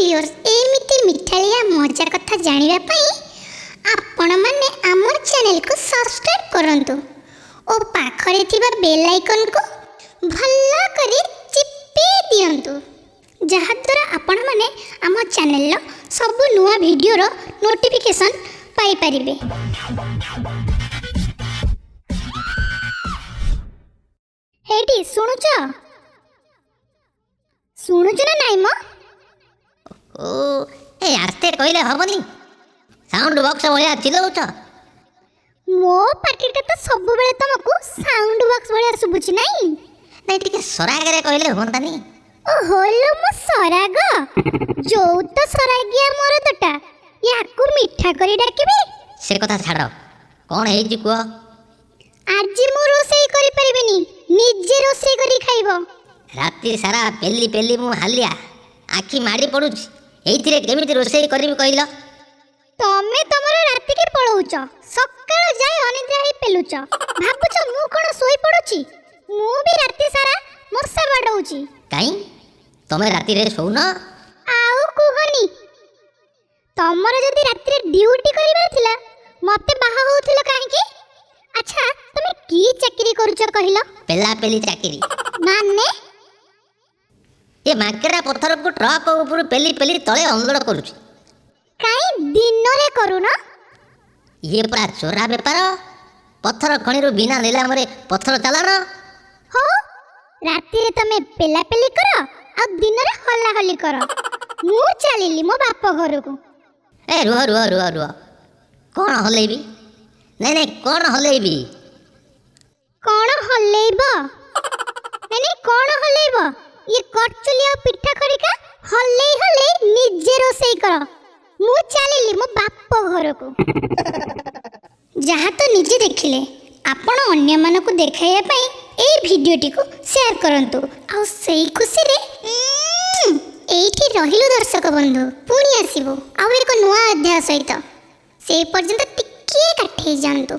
Viewers, ଏମିତି ମିଠାଳିଆ ମଜା କଥା ଜାଣିବା ପାଇଁ ଆପଣମାନେ ଆମ ଚ୍ୟାନେଲକୁ ସବସ୍କ୍ରାଇବ୍ କରନ୍ତୁ ଓ ପାଖରେ ଥିବା ବେଲ୍ ଆଇକନ୍କୁ ଭଲ କରି ଚିପି ଦିଅନ୍ତୁ, ଯାହାଦ୍ୱାରା ଆପଣମାନେ ଆମ ଚ୍ୟାନେଲର ସବୁ ନୂଆ ଭିଡ଼ିଓର ନୋଟିଫିକେସନ୍ ପାଇପାରିବେ। ହେଇଟି ଶୁଣୁଛ? ଶୁଣୁଛ ନା ନାଇଁ ମ? ଓ ଏ, ଆସ୍ତେ କହିଲେ ହବନି? ସାଉଣ୍ଡ ବକ୍ସ ଭଳିଆ ଚିଲଉଛ। ମୋ ପାଟିଟା ତ ସବୁବେଳେ ତମକୁ ସାଉଣ୍ଡ ବକ୍ସ ଭଳିଆ ଶୁଭୁଛି ନାଇଁ? ନାଇଁ, ଟିକେ ସରାଗରେ କହିଲେ ହୁଅନ୍ତାନି? ଓହୋ ଲୋ ମୋ ସରାଗ, ଯୋଉ ତ ସରାଗିଆ ମରଦଟା, ୟାକୁ ମିଠା କରି ଡାକିବି? ସେ କଥା ଛାଡ଼, କ'ଣ ହେଇଛି କୁହ। ଆଜି ମୁଁ ରୋଷେଇ କରିପାରିବିନି, ନିଜେ ରୋଷେଇ କରି ଖାଇବ। ରାତି ସାରା ପେଲି ପେଲି ମୁଁ ହାଲିଆ, ଆଖି ମାଡ଼ି ପଡୁଛି। ଏଇଥିରେ କେମିତି ରୋଷେଇ କରିବି କହିଲ? ତମେ ତମର ରାତିକି ପଳଉଛ, ସକାଳ ଯାଏ ଅନିଦ୍ରା ହେଇ ପେଲୁଛ, ଭାବୁଛ ମୁଁ କ'ଣ ଶୋଇ ପଡୁଛି? ମୁଁ ବି ରାତି ସାରା ମଶା ବାଡଉଛି। କାଇଁ, ତମେ ରାତିରେ ଶୋଉନ? ଆଉ କୁହନି, ତମର ଯଦି ରାତିରେ ଡ୍ୟୁଟି କରିବାର ଥିଲା ମତେ ବାହା ହଉଥିଲ କାହିଁକି? ଆଚ୍ଛା, ତମେ କି ଚାକିରି କରୁଛ କହିଲ? ପେଲା ପେଲି ଚାକିରି। ମାନେ? ଏ ମାଙ୍କେଡ଼ା ପଥରକୁ ଟ୍ରକ୍ ଉପରୁ ପେଲି ପେଲି ତଳେ ଅନଲୋଡ଼ କରୁଛି। କାଇଁ ଦିନରେ କରୁନ? ଇଏ ପରା ଚୋରା ବେପାର, ପଥର ଖଣିରୁ ବିନା ନିଲାମରେ ପଥର ଚାଲାଣ। ହଉ, ରାତିରେ ତମେ ପେଲାପେଲି କର ଆଉ ଦିନରେ ହଲାହଲି କର। ମୁଁ ଚାଲିଲି ମୋ ବାପ ଘରକୁ। ଏ ରୁହ ରୁହ ରୁହ ରୁହ, କ'ଣ ହଲେଇବି? ନାଇଁ ନାଇଁ, କ'ଣ ହଲେଇବି? କ'ଣ ହଲେଇବ? ନାଇଁ ନାଇଁ, କ'ଣ ହଲେଇବ? ଇଏ କରଚୁଲି ଆଉ ପିଠା ଖଡ଼ିକା ହଲେଇ ହଲେଇ ନିଜେ ରୋଷେଇ କର। ମୁଁ ଚାଲିଲି ମୋ ବାପ ଘରକୁ। ଯାହା ତ ନିଜେ ଦେଖିଲେ, ଆପଣ ଅନ୍ୟମାନଙ୍କୁ ଦେଖାଇବା ପାଇଁ ଏଇ ଭିଡ଼ିଓଟିକୁ ସେୟାର କରନ୍ତୁ। ଆଉ ସେଇ ଖୁସିରେ ଏଇଠି ରହିଲୁ ଦର୍ଶକ ବନ୍ଧୁ, ପୁଣି ଆସିବୁ ଆଉ ଏକ ନୂଆ ଅଧ୍ୟାୟ ସହିତ। ସେଇ ପର୍ଯ୍ୟନ୍ତ ଟିକିଏ କାଠେଇ ଯାଆନ୍ତୁ।